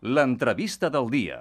L'entrevista del dia.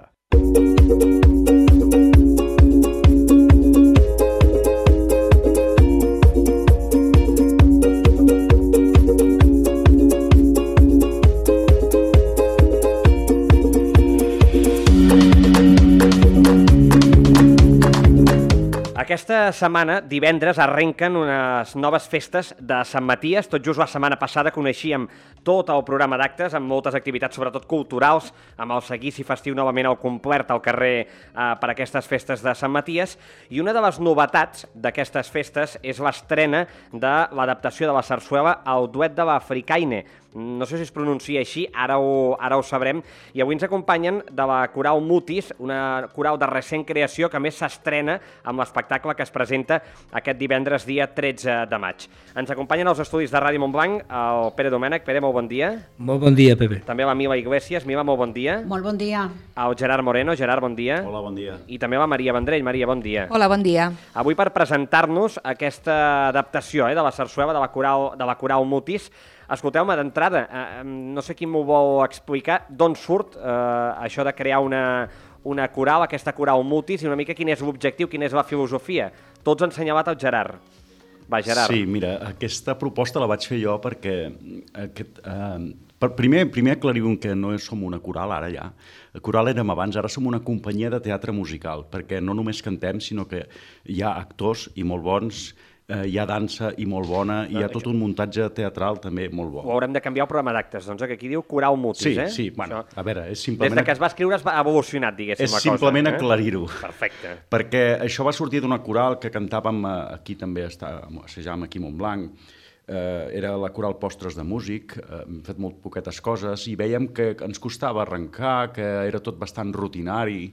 Aquesta setmana, divendres, arrenquen unes noves festes de Sant Maties. Tot just la setmana passada coneixíem tot el programa d'actes, amb moltes activitats, sobretot culturals, amb el seguici festiu novament al complet al carrer per aquestes festes de Sant Maties. I una de les novetats d'aquestes festes és l'estrena de l'adaptació de la sarsuela al duet de l'Africaine. No sé si es pronuncia així, ara ho sabrem. I avui ens acompanyen de la Coral Mutis, una coral de recent creació que més s'estrena amb l'espectacle que es presenta aquest divendres, dia 13 de maig. Ens acompanyen als estudis de Ràdio Montblanc el Pere Domènech. Pere, molt bon dia. Molt bon dia, Pepe. També la Mila Iglesias. Mila, molt bon dia. Molt bon dia. El Gerard Moreno. Gerard, bon dia. Hola, bon dia. I també la Maria Vendrell. Maria, bon dia. Hola, bon dia. Avui per presentar-nos aquesta adaptació de la sarsuela de la Coral Mutis. Escolteu-me, d'entrada, no sé qui m'ho vol explicar, d'on surt això de crear una coral, aquesta Coral Mutis, i una mica quin és l'objectiu, quina és la filosofia. Tots han assenyalat el Gerard. Va, Gerard. Sí, mira, aquesta proposta la vaig fer jo perquè primer aclarim que no som una coral, ara ja. La coral érem abans, ara som una companyia de teatre musical, perquè no només cantem, sinó que hi ha actors i molt bons, hi ha dansa i molt bona, i hi ha tot un muntatge teatral també molt bo. Ho haurem de canviar el programa d'actes, doncs, que aquí diu Coral Mutis, eh? Sí, bueno, a veure, és simplement... Des de que es va escriure ha evolucionat, diguéssim, la cosa. És simplement aclarir-ho. Perfecte. Perquè això va sortir d'una coral que cantàvem aquí també, assajàvem aquí a Montblanc, era la coral Postres de Músic, hem fet molt poquetes coses, i veiem que ens costava arrencar, que era tot bastant rutinari,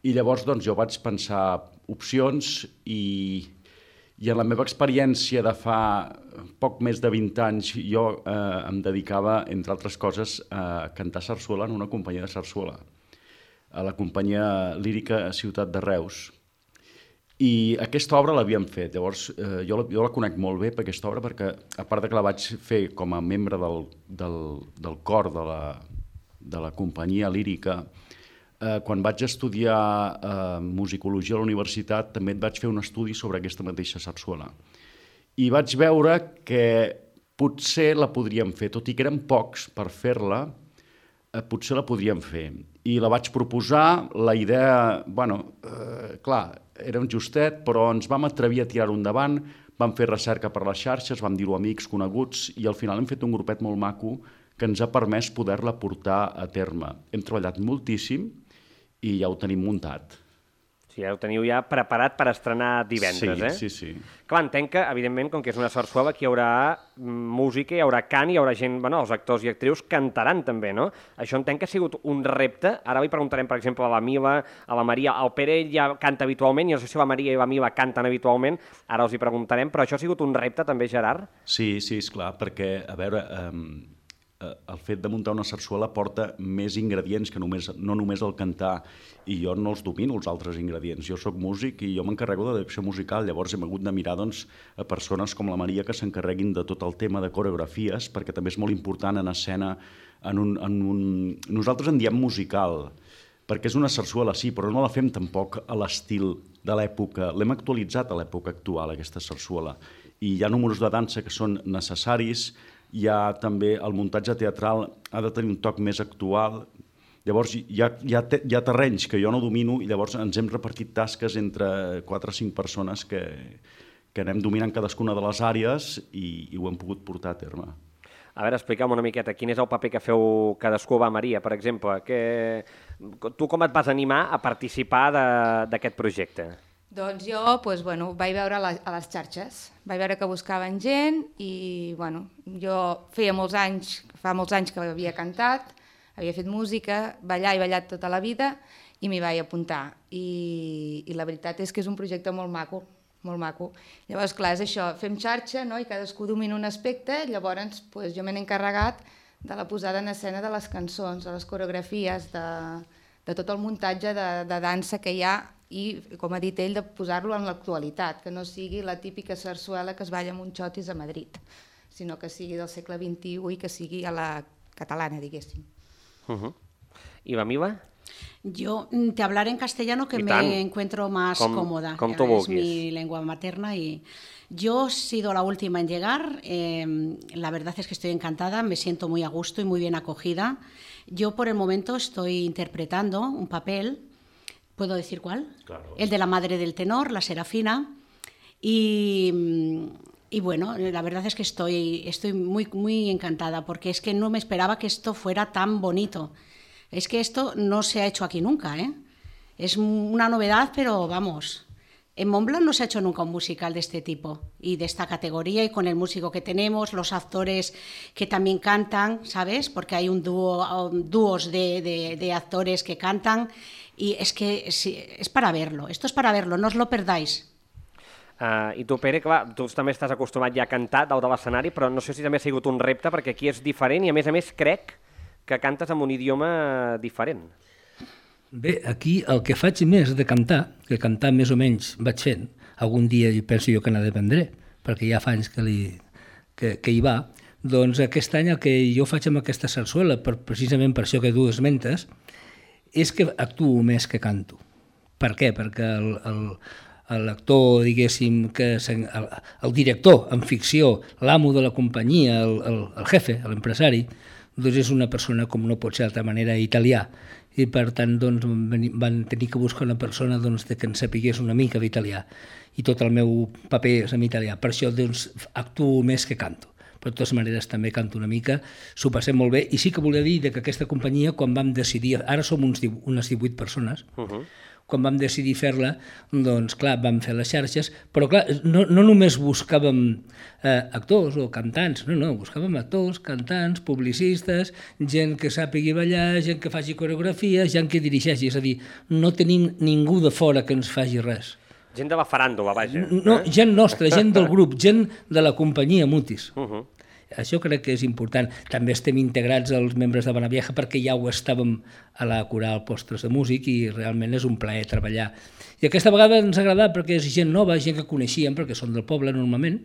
i llavors doncs jo vaig pensar opcions i en la meva experiència de fa poc més de 20 anys jo em dedicava, entre altres coses, a cantar sarsuela en una companyia de sarsuela, a la companyia lírica Ciutat de Reus. I aquesta obra l'havíem fet, llavors jo la conec molt bé per aquesta obra perquè, a part de que la vaig fer com a membre del cor de la companyia lírica, quan vaig estudiar musicologia a la universitat també vaig fer un estudi sobre aquesta mateixa sarsuela. I vaig veure que potser la podríem fer, tot i que eren pocs per fer-la, potser la podríem fer. I la vaig proposar, la idea, clar, era un justet, però ens vam atrevir a tirar-ho endavant, vam fer recerca per les xarxes, vam dir-ho a amics coneguts, i al final hem fet un grupet molt maco que ens ha permès poder-la portar a terme. Hem treballat moltíssim, i ja ho tenim muntat. Sí, ja ho teniu ja preparat per estrenar divendres, eh? Sí. Clar, entenc que, evidentment, com que és una sarsuela, aquí hi haurà música, hi haurà cant, hi haurà gent, els actors i actrius cantaran també, no? Això entenc que ha sigut un repte. Ara li preguntarem, per exemple, a la Mila, a la Maria. El Pere ja canta habitualment, i no sé si la Maria i la Mila canten habitualment, ara els hi preguntarem, però això ha sigut un repte també, Gerard? Sí, esclar, perquè, a veure... el fet de muntar una sarsuela porta més ingredients que no només el cantar, i jo no els domino, els altres ingredients. Jo sóc músic i jo m'encarrego de direcció musical, llavors hem hagut de mirar a persones com la Maria que s'encarreguin de tot el tema de coreografies, perquè també és molt important en escena. Nosaltres en diem musical, perquè és una sarsuela, sí, però no la fem tampoc a l'estil de l'època. L'hem actualitzat a l'època actual, aquesta sarsuela. I hi ha números de dansa que són necessaris, hi ha també el muntatge teatral, ha de tenir un toc més actual. Llavors hi ha terrenys que jo no domino i llavors ens hem repartit tasques entre 4 o 5 persones que anem dominant cadascuna de les àrees i ho hem pogut portar a terme. A veure, explica'm una miqueta, quin és el paper que feu cadascú? Va, Maria, per exemple, tu com et vas animar a participar d'aquest projecte? Doncs jo vaig veure a les xarxes, vaig veure que buscaven gent i jo fa molts anys que havia cantat, havia fet música, ballar i ballat tota la vida i m'hi vaig apuntar. I la veritat és que és un projecte molt maco, molt maco. Llavors, clar, és això, fem xarxa, no? I cadascú domina un aspecte, llavors jo m'he encarregat de la posada en escena de les cançons, de les coreografies, de tot el muntatge de dansa que hi ha i, com ha dit ell, de posar-lo en l'actualitat, que no sigui la típica sarsuela que es balla amb un xotis a Madrid, sinó que sigui del segle XXI i que sigui a la catalana, diguéssim. I la Mila? Yo te hablaré en castellano que me encuentro más cómoda. Es mi lengua materna y yo he sido la última en llegar. La verdad es que estoy encantada, me siento muy a gusto y muy bien acogida. Yo por el momento estoy interpretando un papel, ¿puedo decir cuál? Claro. El de la madre del tenor, la Serafina. Y bueno, la verdad es que estoy muy, muy encantada porque es que no me esperaba que esto fuera tan bonito. Es que esto no se ha hecho aquí nunca, ¿eh? Es una novedad, pero vamos, en Montblanc no se ha hecho nunca un musical de este tipo y de esta categoría y con el músico que tenemos, los actores que también cantan, ¿sabes? Porque hay dúos de actores que cantan y es que es para verlo, esto es para verlo, no os lo perdáis. I tu, Pere, clar, tu també estàs acostumat ja a cantar dalt de l'escenari, però no sé si també ha sigut un repte, perquè aquí és diferent i, a més, crec que cantes en un idioma diferent. Bé, aquí el que faig més de cantar, que cantar més o menys vaig fent, algun dia penso jo que n'ha d'aprendre, perquè ja fa anys que hi va, doncs aquest any el que jo faig amb aquesta sarsuela, precisament per això que tu esmentes, és que actuo més que canto. Per què? Perquè l'actor, diguéssim, el director en ficció, l'amo de la companyia, el jefe, l'empresari, doncs és una persona, com no pot ser d'altra manera, italià. I per tant doncs, van tenir que buscar una persona que en sapigués una mica d'italià. I tot el meu paper és en italià. Per això doncs, actuo més que canto. Però de totes maneres també canto una mica, s'ho passem molt bé. I sí que volia dir que aquesta companyia, quan vam decidir, ara som unes 18 persones, quan vam decidir fer-la, doncs clar, vam fer les xarxes, però clar, no només buscàvem actors o cantants, no, buscàvem actors, cantants, publicistes, gent que sàpigui ballar, gent que faci coreografia, gent que dirigeixi, és a dir, no tenim ningú de fora que ens faci res. Gent de la faràndula, vaja. No, gent nostra, gent del grup, gent de la companyia Mutis. Això crec que és important. També estem integrats als membres de Bonavieja perquè ja ho estàvem a la coral Postres de Músic i realment és un plaer treballar. I aquesta vegada ens ha agradat perquè és gent nova, gent que coneixíem perquè són del poble normalment,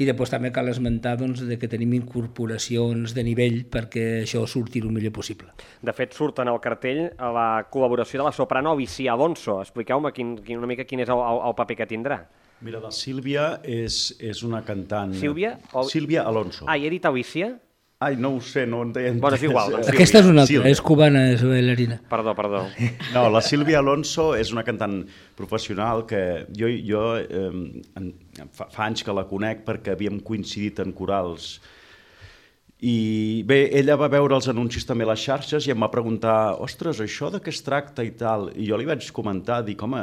i després també cal esmentar que tenim incorporacions de nivell perquè això surti el millor possible. De fet, surt en el cartell la col·laboració de la soprano Alicia Alonso. Expliqueu-me una mica quin és el paper que tindrà. Mira, la Sílvia és una cantant... Sílvia? Sílvia Alonso. Ah, i he dit Alicia? Ai, no ho sé, no entenc. Bueno, és igual. Doncs aquesta és una altra, és cubana, és bailarina. Perdó. No, la Sílvia Alonso és una cantant professional que jo fa anys que la conec perquè havíem coincidit en corals. I bé, ella va veure els anuncis també a les xarxes i em va preguntar, ostres, això de què es tracta i tal. I jo li vaig comentar, dic, home,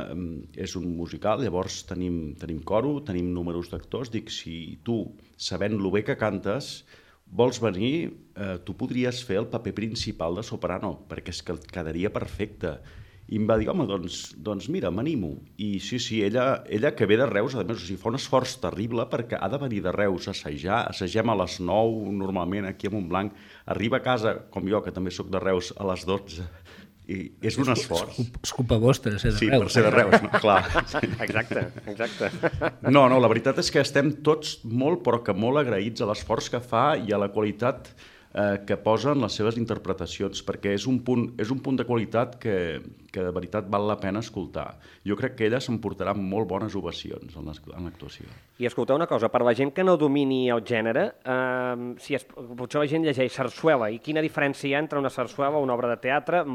és un musical, llavors tenim coro, tenim números d'actors, dic, si tu, sabent lo bé que cantes, vols venir, tu podries fer el paper principal de soprano, perquè és que et quedaria perfecte. I em va dir, home, doncs mira, m'animo. I sí, ella que ve de Reus, a més, fa un esforç terrible perquè ha de venir de Reus a assajar, assagem a les 9, normalment aquí a Montblanc, arriba a casa, com jo, que també sóc de Reus, a les 12, i és un esforç. És culpa vostra, ser de Reus. Sí, per ser de Reus, no? Clar. Exacte. No, la veritat és que estem tots molt, però que molt agraïts a l'esforç que fa i a la qualitat que posen les seves interpretacions, perquè és un punt de qualitat que de veritat val la pena escoltar. Jo crec que ella s'emportarà molt bones ovacions en l'actuació. I escolteu una cosa, per la gent que no domini el gènere, potser la gent llegeix sarsuela, i quina diferència hi ha entre una sarsuela o una obra de teatre?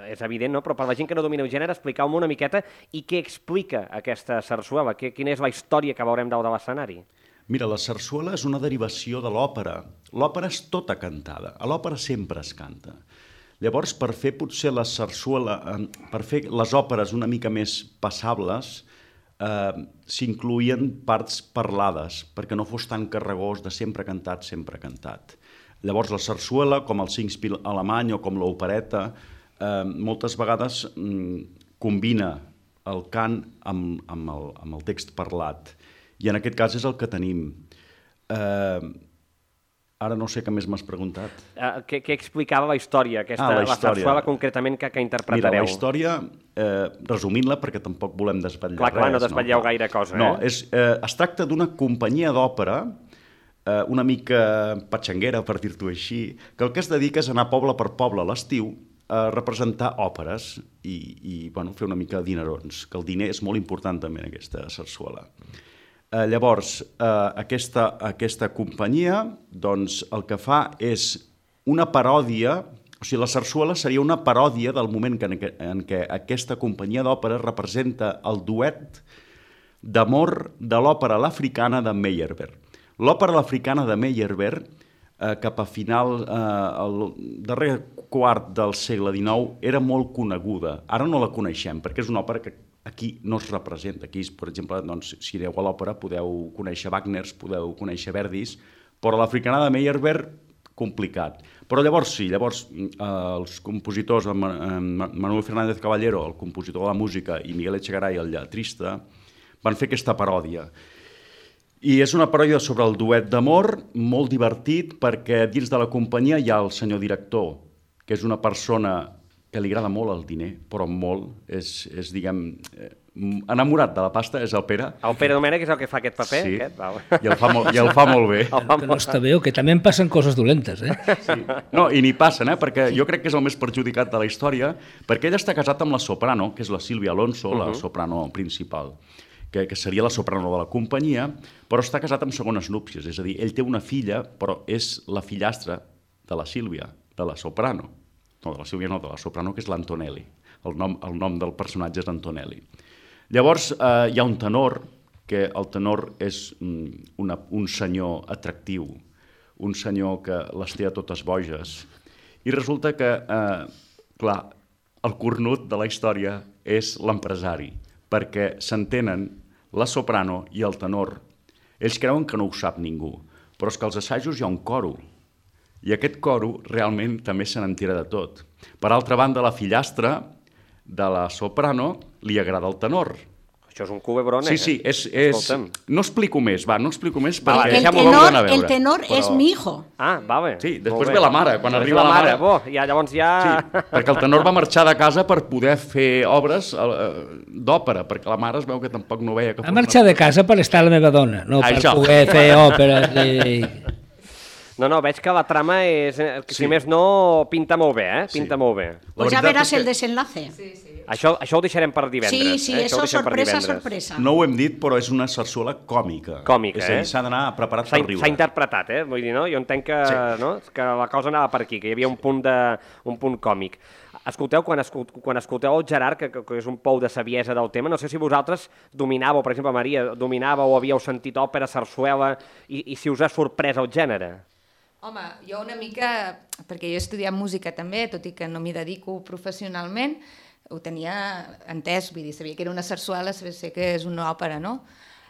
És evident, no? Però per la gent que no domina el gènere, expliqueu-me una miqueta i què explica aquesta sarsuela, quina és la història que veurem dalt de l'escenari? Mira, la sarsuela és una derivació de l'òpera. L'òpera és tota cantada. A l'òpera sempre es canta. Llavors, per fer potser la sarsuela, per fer les òperes una mica més passables, s'incloïen parts parlades, perquè no fos tan carregós de sempre cantat. Llavors, la sarsuela, com el singspiel alemany o com l'opereta, moltes vegades combina el cant amb el text parlat. I en aquest cas és el que tenim. Ara no sé què més m'has preguntat. Què explicava la història, la sarsuela concretament que interpretareu? Mira, la història, resumint-la, perquè tampoc volem desvetllar res. Clar, no desvetlleu gaire cosa. No, es tracta d'una companyia d'òpera, una mica patxanguera, per dir-t'ho així, que el que es dedica és anar poble per poble a l'estiu representar òperes i bueno, fer una mica de dinerons, que el diner és molt important també en aquesta sarsuela. Llavors, aquesta companyia doncs, el que fa és una paròdia, o sigui, la sarsuela seria una paròdia del moment en què aquesta companyia d'òpera representa el duet d'amor de l'òpera l'africana de Meyerbeer. L'òpera l'africana de Meyerbeer, cap a final, el darrer quart del segle XIX, era molt coneguda. Ara no la coneixem, perquè és una òpera que aquí no es representa. Aquí, per exemple, doncs, si aneu a l'òpera podeu conèixer Wagner, podeu conèixer Verdis, però l'africana de Meyerbeer, complicat. Però llavors sí, els compositors, Manuel Fernández Caballero, el compositor de la música, i Miguel Echegaray, el lletrista, van fer aquesta paròdia. I és una paròdia sobre el duet d'amor, molt divertit, perquè dins de la companyia hi ha el senyor director, que és una persona que li agrada molt el diner, però molt, és diguem, enamorat de la pasta, és el Pere. El Pere Domènech és el que fa aquest paper? Sí, aquest? I el fa molt bé. Que no està bé, o que també em passen coses dolentes, Sí. No, i n'hi passen, perquè jo crec que és el més perjudicat de la història, perquè ell està casat amb la soprano, que és la Sílvia Alonso, la soprano principal, que seria la soprano de la companyia, però està casat amb segones núpcies, és a dir, ell té una filla, però és la fillastra de la Sílvia, de la soprano. No, de la Sílvia no, de la soprano, que és l'Antonelli. El nom del personatge és Antonelli. Llavors, hi ha un tenor, que el tenor és un senyor atractiu, un senyor que les té a totes boges, i resulta que, clar, el cornut de la història és l'empresari, perquè s'entenen la soprano i el tenor. Ells creuen que no ho sap ningú, però és que als assajos hi ha un coro, i aquest coro realment també se n'entera de tot. Per altra banda, la fillastra de la soprano li agrada el tenor. Això és un culebrón, Sí, no explico més, perquè el tenor és mi hijo. Ah, vale. Sí, després ve la mare, quan arriba la mare. Llavors ja... Sí, perquè el tenor va marxar de casa per poder fer obres d'òpera, perquè la mare es veu que tampoc no veia que fos... Va marxar de casa per estar la meva dona, no per poder fer òperes. No, veig que la trama és... Si més no, pinta molt bé, Pinta molt bé. Pues ja veràs el desenlace. Sí. Això ho deixarem per divendres. Sí, això sorpresa. No ho hem dit, però és una sarsuela còmica. Còmica, És a dir, s'ha d'anar preparat per riure. S'ha interpretat, Vull dir, no? Jo entenc que la cosa anava per aquí, que hi havia un punt còmic. Escolteu, quan escolteu el Gerard, que és un pou de saviesa del tema, no sé si vosaltres dominàveu, per exemple, Maria, dominàveu o havíeu sentit òpera, sarsuela, i si us ha sorprès el gènere. Home, jo una mica, perquè jo he estudiat música també, tot i que no m'hi dedico professionalment, ho tenia entès, vull dir, sabia que era una sarsuela, sé que és una òpera, no?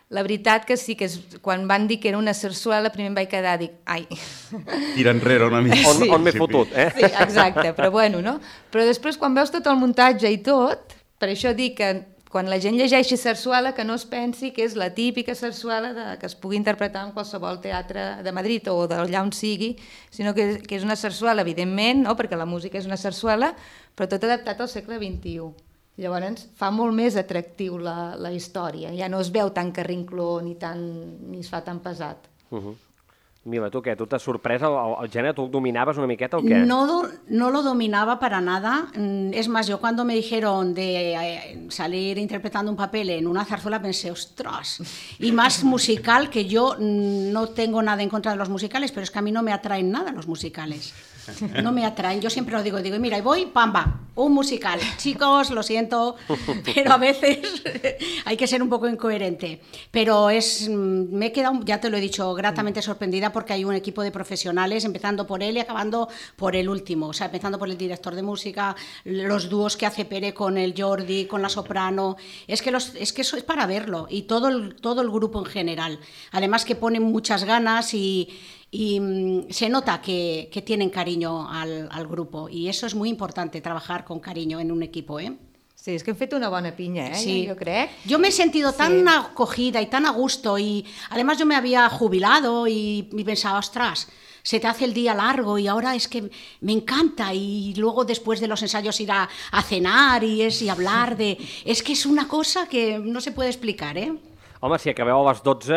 La veritat que sí, que quan van dir que era una sarsuela, primer em vaig quedar, dic, ai... Tira enrere una mica. On m'he fotut, Sí, exacte, però bueno, no? Però després, quan veus tot el muntatge i tot, per això dic que quan la gent llegeixi sarsuela, que no es pensi que és la típica sarsuela que es pugui interpretar en qualsevol teatre de Madrid o d'allà on sigui, sinó que és una sarsuela, evidentment, no? Perquè la música és una sarsuela, però tot adaptat al segle XXI. Llavors fa molt més atractiu la història, ja no es veu tan carrincló ni es fa tan pesat. Mira, tu què? Tu t'has sorprès el gènere? Tu dominaves una miqueta o què? No lo dominaba para nada. Es más, yo cuando me dijeron de salir interpretando un papel en una zarzuela pensé, ostras, y más musical, que yo no tengo nada en contra de los musicales, pero es que a mí no me atraen nada los musicales. No me atraen, yo siempre lo digo, mira, y voy, pamba, un musical. Chicos, lo siento, pero a veces hay que ser un poco incoherente. Pero me he quedado, ya te lo he dicho, gratamente sorprendida porque hay un equipo de profesionales, empezando por él y acabando por el último. O sea, empezando por el director de música, los dúos que hace Pere con el Jordi, con la soprano. Es que eso es para verlo, y todo el grupo en general. Además que ponen muchas ganas y se nota que tienen cariño al grupo, y eso es muy importante, trabajar con cariño en un equipo, Sí, és que hem fet una bona pinya, Sí. Jo crec. Yo me he sentido tan acogida y tan a gusto, y además yo me había jubilado y pensaba, ostras, se te hace el día largo y ahora es que me encanta, y luego después de los ensayos ir a cenar y hablar de... Es que es una cosa que no se puede explicar, Home, si acabeu a les 12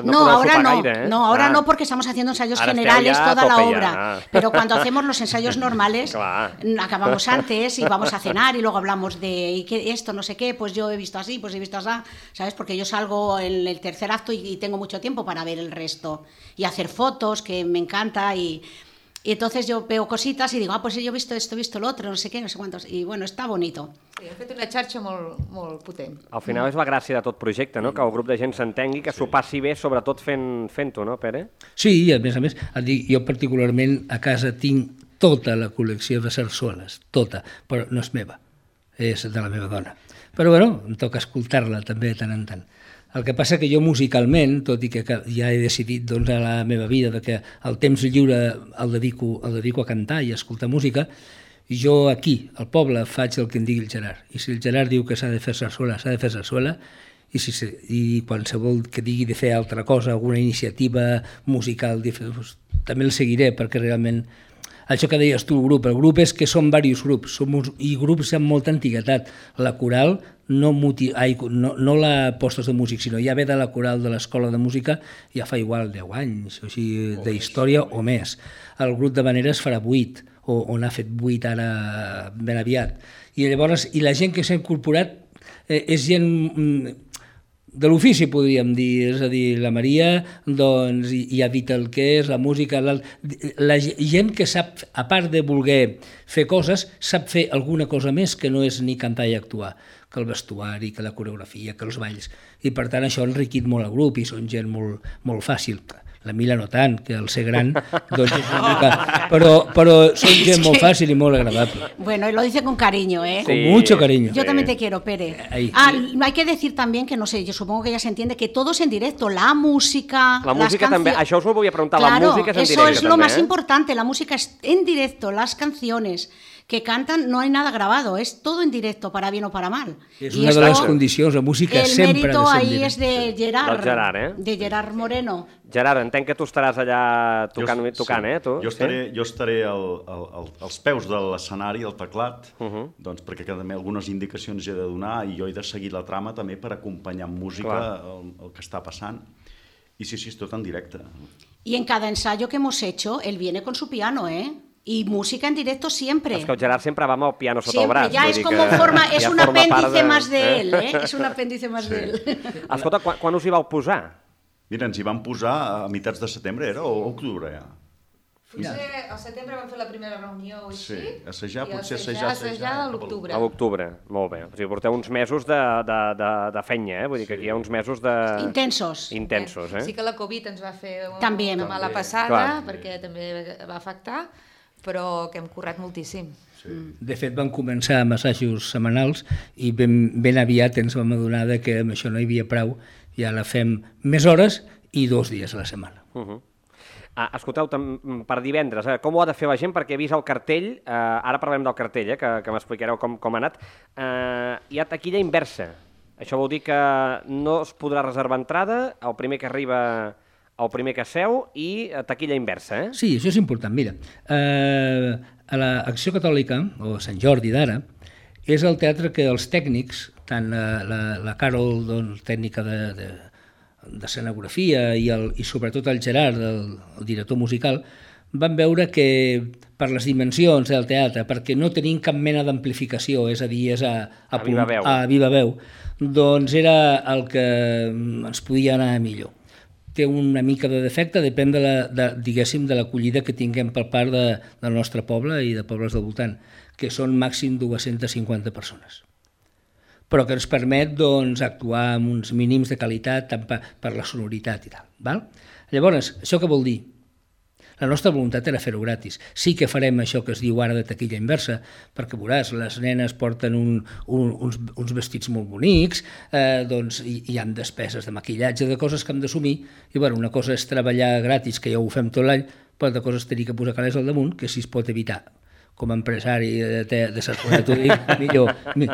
no No, podeu ahora sopar no, gaire, ¿eh? no, ahora no, porque estamos haciendo ensayos Ahora esteu generales ya a toda la tope ya, obra. Pero cuando hacemos los ensayos normales, Claro. acabamos antes y vamos a cenar y luego hablamos de ¿y qué, esto, no sé qué, pues yo he visto así, pues he visto así, ¿sabes? Porque yo salgo en el tercer acto y tengo mucho tiempo para ver el resto y hacer fotos, que me encanta, y entonces yo veo cositas y digo, pues yo he visto esto, he visto lo otro, no sé qué, no sé cuántos, y bueno, està bonito. Sí, hem fet una xarxa molt potent. Al final és la gràcia de tot projecte, no? Que el grup de gent s'entengui, que s'ho passi bé, sobretot fent-ho, no, Pere? Sí, i a més, et dic, jo particularment a casa tinc tota la col·lecció de sarsueles, tota, però no és meva, és de la meva dona. Però bueno, em toca escoltar-la també de tant en tant. El que passa que jo musicalment, tot i que ja he decidit doncs, a la meva vida que el temps lliure el dedico a cantar i a escoltar música, jo aquí, al poble, faig el que em digui el Gerard. I si el Gerard diu que s'ha de fer sarsuela, s'ha de fer sarsuela, i qualsevol que digui de fer altra cosa, alguna iniciativa musical, doncs, també el seguiré, perquè realment això que deies tu, el grup és que són diversos grups, i grups amb molta antiguitat. La coral, no la postes de músic, sinó ja ve de la coral de l'escola de música, ja fa igual 10 anys, o sigui, d'història o més. El grup de Maneres farà 8, o n'ha fet 8 ara ben aviat. I llavors, i la gent que s'ha incorporat és gent de l'ofici, podríem dir, és a dir, la Maria doncs, i ha dit el que és, la música, la gent que sap, a part de voler fer coses, sap fer alguna cosa més que no és ni cantar i actuar, que el vestuari, que la coreografia, que els balls, i per tant això ha enriquit molt el grup i són gent molt fàcil. La Mila no tant, que al ser gran doncs és una mica... Però són gent molt fàcil i molt agradable. Bueno, lo dice con cariño, ¿eh? Sí. Con mucho cariño. Yo también te quiero, Pere. Hay que decir también que, no sé, yo supongo que ya se entiende que todo es en directo, la música... La música també, això us ho volia preguntar, claro, la música és en directe també. Eso es lo más ¿eh? importante, la música es en directo, las canciones que cantan, no hay nada grabado, es todo en directo, para bien o para mal. És una de les condicions, la música sempre ha de ser en directe. El mérito ahí és de Gerard, de Gerard Moreno. Gerard, entenc que tu estaràs allà tocant, tu? Jo estaré als peus de l'escenari, al teclat, doncs perquè també algunes indicacions he de donar i jo he de seguir la trama també per acompanyar amb música el que està passant. Y sí, es todo en directo. Y en cada ensayo que hemos hecho, él viene con su piano, ¿eh? Y música en directo siempre. És que el Gerard sempre va amb el piano sota el braç. Ya es como es un apéndice más de él, ¿eh? És un apéndice más de él. Escolta, quan us hi vau posar? Mira, ens hi vam posar a meitats de setembre, era? O octubre, ja? Potser al setembre vam fer la primera reunió o així, assajar a l'octubre. A l'octubre, molt bé. O sigui, porteu uns mesos de feina, vull dir que aquí hi ha uns mesos de... Intensos, eh? Sí que la Covid ens va fer una mala passada, perquè també va afectar, però que hem currat moltíssim. De fet, vam començar amb assajos setmanals i ben aviat ens vam adonar que amb això no hi havia prou i ara fem més hores i 2 dies a la setmana. Escolteu, per divendres, com ho ha de fer la gent? Perquè he vist el cartell, ara parlem del cartell, que m'explicareu com ha anat. Hi ha taquilla inversa. Això vol dir que no es podrà reservar entrada, el primer que arriba, el primer que seu, i taquilla inversa, eh? Sí, això és important. Mira, a l'Acció Catòlica, o Sant Jordi d'ara, és el teatre que els tècnics, tant la Carol, tècnica d'escenografia i sobretot el Gerard, el director musical, van veure que per les dimensions del teatre, perquè no tenim cap mena d'amplificació, és a dir, és a viva veu, doncs era el que ens podia anar millor. Té una mica de defecte, depèn diguéssim, de l'acollida que tinguem per part del nostre poble i de pobles del voltant, que són màxim 250 persones. Però que ens permet actuar amb uns mínims de qualitat tant per la sonoritat i tal. Llavors, això què vol dir? La nostra voluntat era fer-ho gratis. Sí que farem això que es diu ara de taquilla inversa, perquè veuràs, les nenes porten uns vestits molt bonics, doncs hi ha despeses de maquillatge, de coses que hem d'assumir, i una cosa és treballar gratis, que ja ho fem tot l'any, però altra cosa és tenir que posar calés al damunt, que si es pot evitar. Com a empresari de sarsuela, t'ho dic,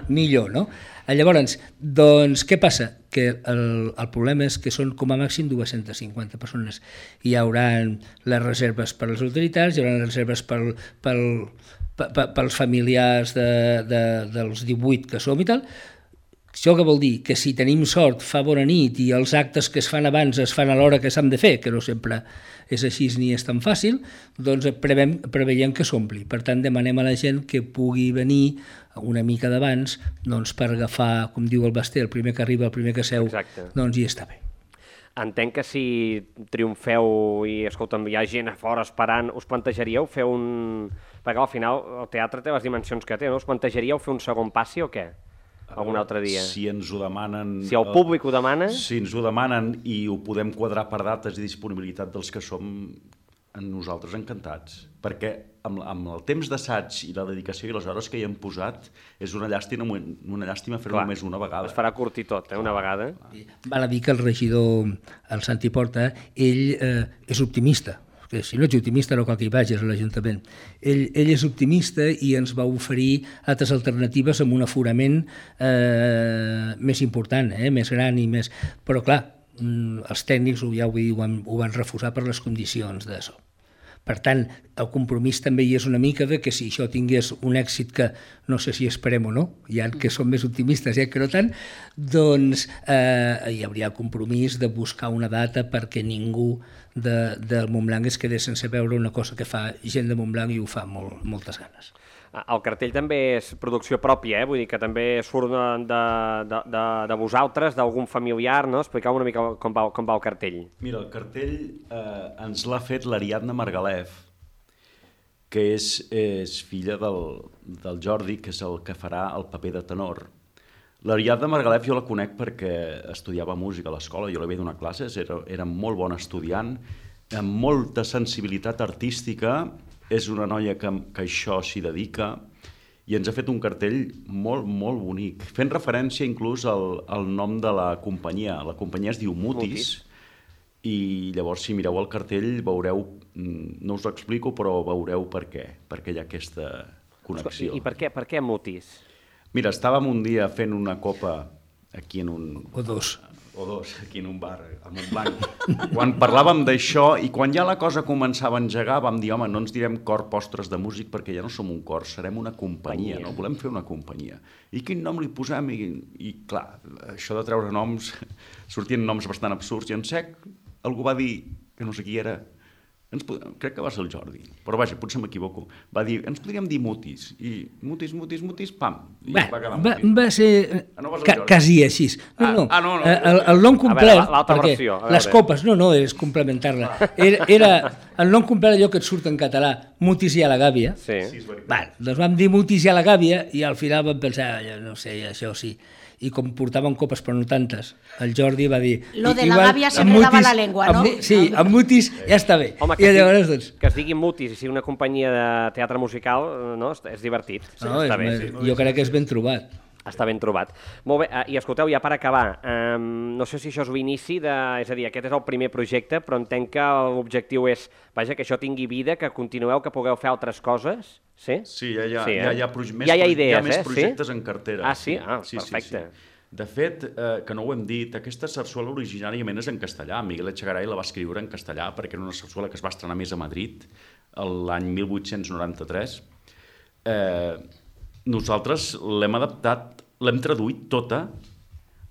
millor, no? Llavors, doncs, què passa? Que el problema és que són com a màxim 250 persones. Hi haurà les reserves per les autoritats, hi haurà les reserves pels familiars dels 18 que som i tal, Això què vol dir? Que si tenim sort fa bona nit i els actes que es fan abans es fan a l'hora que s'han de fer, que no sempre és així ni és tan fàcil, doncs preveiem que s'ompli. Per tant, demanem a la gent que pugui venir una mica d'abans doncs, per agafar, com diu el Basté, el primer que arriba, el primer que seu, doncs hi està bé. Entenc que si triomfeu i, escolta'm, hi ha gent a fora esperant, us plantejaríeu fer un... Perquè al final el teatre té les dimensions que té, no? Us plantejaríeu fer un segon passi o què? Algun altre dia? Si ens ho demanen... Si el públic ho demana... Si ens ho demanen i ho podem quadrar per dates i disponibilitat dels que som, nosaltres encantats. Perquè amb el temps d'assaig i la dedicació i les hores que hi hem posat és una llàstima fer-ho només una vegada. Es farà curtir tot, una vegada. Val a dir que el regidor, el Santi Porta, ell és optimista. Que si no ets optimista no cal que hi vagis a l'Ajuntament. Ell és optimista i ens va oferir altres alternatives amb un aforament més important, més gran i més... Però clar, els tècnics ja ho van refusar per les condicions d'això. Per tant, el compromís també hi és una mica de que si això tingués un èxit que no sé si esperem o no, ja que som més optimistes, ja que no tant, doncs hi hauria el compromís de buscar una data perquè ningú del Montblanc es quedés sense veure una cosa que fa gent de Montblanc i ho fa moltes ganes. El cartell també és producció pròpia, vull dir que també surt de vosaltres, d'algun familiar, no? Expliqueu una mica com va el cartell. Mira, el cartell ens l'ha fet l'Ariadna Margalef, que és filla del Jordi, que és el que farà el paper de tenor. L'Ariadna Margalef jo la conec perquè estudiava música a l'escola, jo li havia donat classes, era molt bona estudiant, amb molta sensibilitat artística. És una noia que això s'hi dedica i ens ha fet un cartell molt, molt bonic, fent referència inclús al nom de la companyia. La companyia es diu Mutis i llavors si mireu el cartell veureu, no us ho explico, però veureu per què hi ha aquesta connexió. I per què Mutis? Mira, estàvem un dia fent una copa aquí en un... O dos, aquí en un bar, a Montblanc. Quan parlàvem d'això i quan ja la cosa començava a engegar, vam dir, home, no ens direm cor postres de músic perquè ja no som un cor, serem una companyia, no? Volem fer una companyia. I quin nom li posem? I clar, això de treure noms, sortien noms bastant absurds i en sec algú va dir, que no sé qui era, crec que va ser el Jordi, però vaja, potser m'equivoco, va dir, ens podríem dir Mutis, i Mutis, pam, i va quedar Mutis. Va ser quasi així. No. El nom complet, perquè les copes, no, és complementar-la. Era el nom complet allò que et surt en català, Mutis i a la gàbia. Doncs vam dir Mutis i a la gàbia i al final vam pensar, no sé, això sí. I com portaven copes però no tantes, el Jordi va dir... Lo de la gàbia se me dava la llengua, no? Sí, amb Mutis ja està bé. Home, que es digui Mutis i sigui una companyia de teatre musical, no? És divertit. Jo crec que és ben trobat. Està ben trobat. Molt bé, i escolteu, ja per acabar, no sé si això és l'inici és a dir, aquest és el primer projecte, però entenc que l'objectiu és, vaja, que això tingui vida, que continueu, que pugueu fer altres coses, sí? Sí, ja hi ha més projectes en cartera. Ah, sí? Ah, perfecte. De fet, que no ho hem dit, aquesta sarsuela originàriament és en castellà. Miguel Echegaray la va escriure en castellà perquè era una sarsuela que es va estrenar més a Madrid l'any 1893. Nosaltres l'hem adaptat, l'hem traduït tota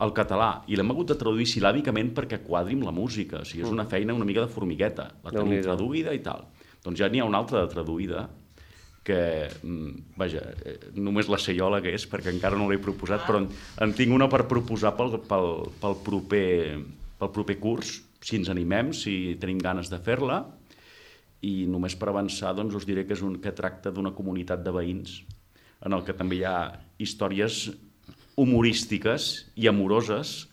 al català i l'hem hagut de traduir silàbicament perquè quadri amb la música. O sigui, és una feina una mica de formigueta. La tenim traduïda i tal. Doncs ja n'hi ha una altra de traduïda que, vaja, només la sé jo la que és perquè encara no l'he proposat, però en tinc una per proposar pel proper curs, si ens animem, si tenim ganes de fer-la. I només per avançar doncs, us diré que tracta d'una comunitat de veïns en el que també hi ha històries humorístiques i amoroses,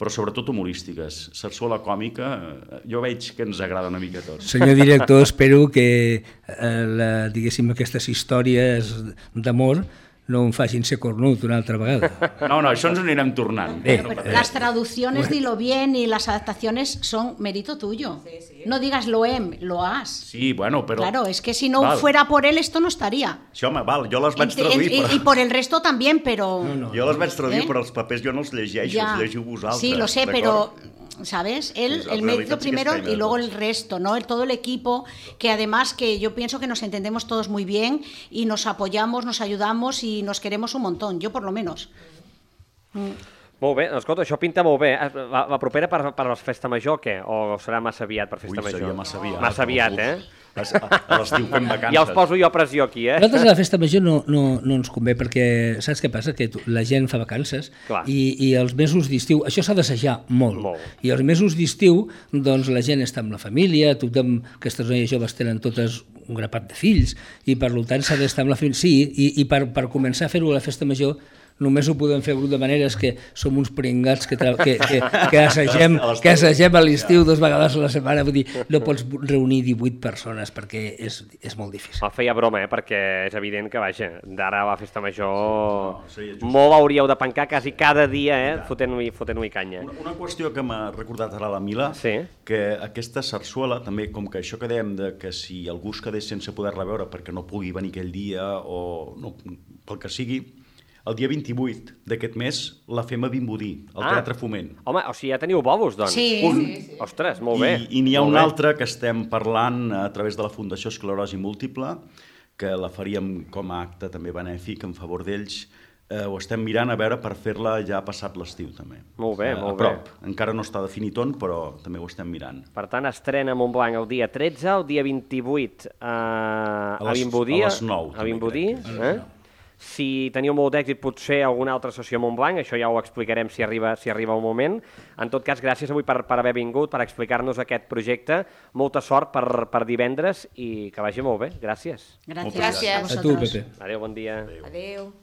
però sobretot humorístiques. Sarsuela còmica, jo veig que ens agrada una mica a tots. Senyor director, espero que diguéssim aquestes històries d'amor no em facin ser cornut una altra vegada. No, això ens ho anirem tornant. Las traducciones, dilo bien, y las adaptaciones son mérito tuyo. Sí. No digas lo has. Sí, bueno, però... Claro, es que si no fuera por él, esto no estaría. Sí, home, jo les vaig traduir, però... Y por el resto también, però... Jo les vaig traduir, però els papers jo no els llegeixo, els llegiu vosaltres. Sí, lo sé, pero... ¿Sabes? Él, el mérito primero y luego el resto, ¿no? Todo el equipo, que además que yo pienso que nos entendemos todos muy bien y nos apoyamos, nos ayudamos y nos queremos un montón, yo por lo menos. Molt bé, escolta, això pinta molt bé. La propera per la festa major, què? O serà massa aviat per festa major? Seria massa aviat. Massa aviat, A l'estiu fem vacances. Ja us poso jo pressió aquí, Nosaltres a la festa major no ens convé perquè saps què passa? Que la gent fa vacances i els mesos d'estiu, això s'ha d'assajar molt. I els mesos d'estiu doncs la gent està amb la família, tothom, aquestes noies joves tenen totes un grapat de fills i per tant s'ha d'estar amb la família. Sí, i per començar a fer-ho a la festa major només ho podem fer de maneres que som uns pringats que assagem a l'estiu 2 vegades a la setmana. Vull dir, no pots reunir 18 persones perquè és molt difícil. El feia broma, perquè és evident que, vaja, d'ara a la festa major molt hauríeu de pencar quasi cada dia, fotent-hi canya. Una qüestió que m'ha recordat ara la Mila, que aquesta sarsuela, també, com que això que dèiem que si algú es quedés sense poder-la veure perquè no pugui venir aquell dia o no, pel que sigui, el dia 28 d'aquest mes la fem a Vimbodí, al Teatre Foment. Home, o sigui, ja teniu bòbus, doncs. Sí. Ostres, molt bé. I n'hi ha un altre que estem parlant a través de la Fundació Esclerosi Múltiple, que la faríem com a acte també benèfic en favor d'ells. Ho estem mirant a veure per fer-la ja passat l'estiu, també. Molt bé, molt bé. A prop. Encara no està definit on, però també ho estem mirant. Per tant, estrena Montblanc el dia 13, el dia 28 a Vimbodí. A les 9. A Vimbodí, Si teniu molt d'èxit, potser alguna altra sessió a Montblanc, això ja ho explicarem si arriba el moment. En tot cas, gràcies avui per haver vingut, per explicar-nos aquest projecte. Molta sort per divendres i que vagi molt bé. Gràcies. Gràcies. A tu, Pepe. Adéu, bon dia. Adéu.